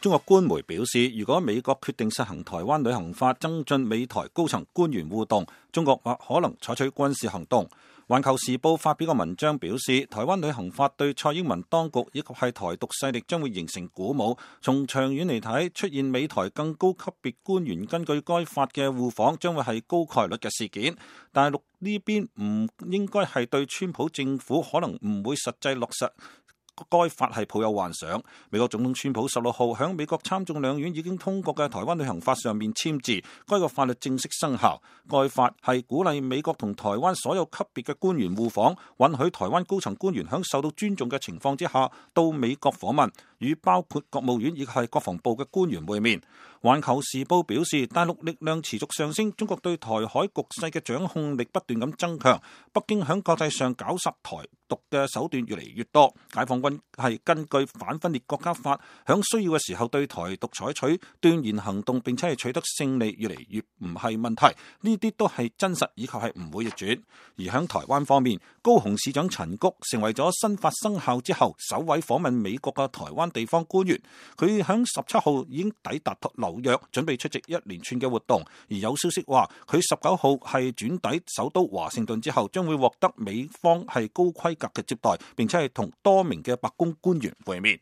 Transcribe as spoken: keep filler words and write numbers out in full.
中國官媒表示，如果美國決定實行台灣旅行法，增進美台高層官員互動，中國或可能採取軍事行動。環球時報發表個文章表示，台灣旅行法對蔡英文當局以及係台獨勢力將會形成鼓舞。從長遠嚟睇，出現美台更高級別官員根據該法嘅互訪，將會係高概率嘅事件。大陸呢邊唔應該係對川普政府可能唔會實際落實該法係抱有幻想。美國總統川普十六號響美國參眾兩院已經通過嘅台灣旅行法上面簽字，該個法律正式生效。該法係鼓勵美國同台灣所有級別嘅官員互訪，允許台灣高層官員響受到尊重嘅情況之下到美國訪問，與包括國務院以及係國防部嘅官員會面。環球時報表示，大陸力量持續上升，中國對台海局勢嘅掌控力不斷咁增強，北京響國際上搞殺台獨嘅手段越嚟越多。解放軍係根據反分裂國家法，響需要嘅時候對台獨採取斷然行動，並且係取得勝利，越嚟越唔係問題。呢啲都係真實以及係唔會逆轉。而響台灣方面，高雄市長陳菊成為咗新法生效之後首位訪問美國嘅台灣地方官員。佢響十七號已經抵達紐約，準備出席一連串嘅活動。而有消息話，佢十九號係轉抵首都華盛頓之後，將會獲得美方係高規格嘅接待，並且係同多名嘅白宮官員會面。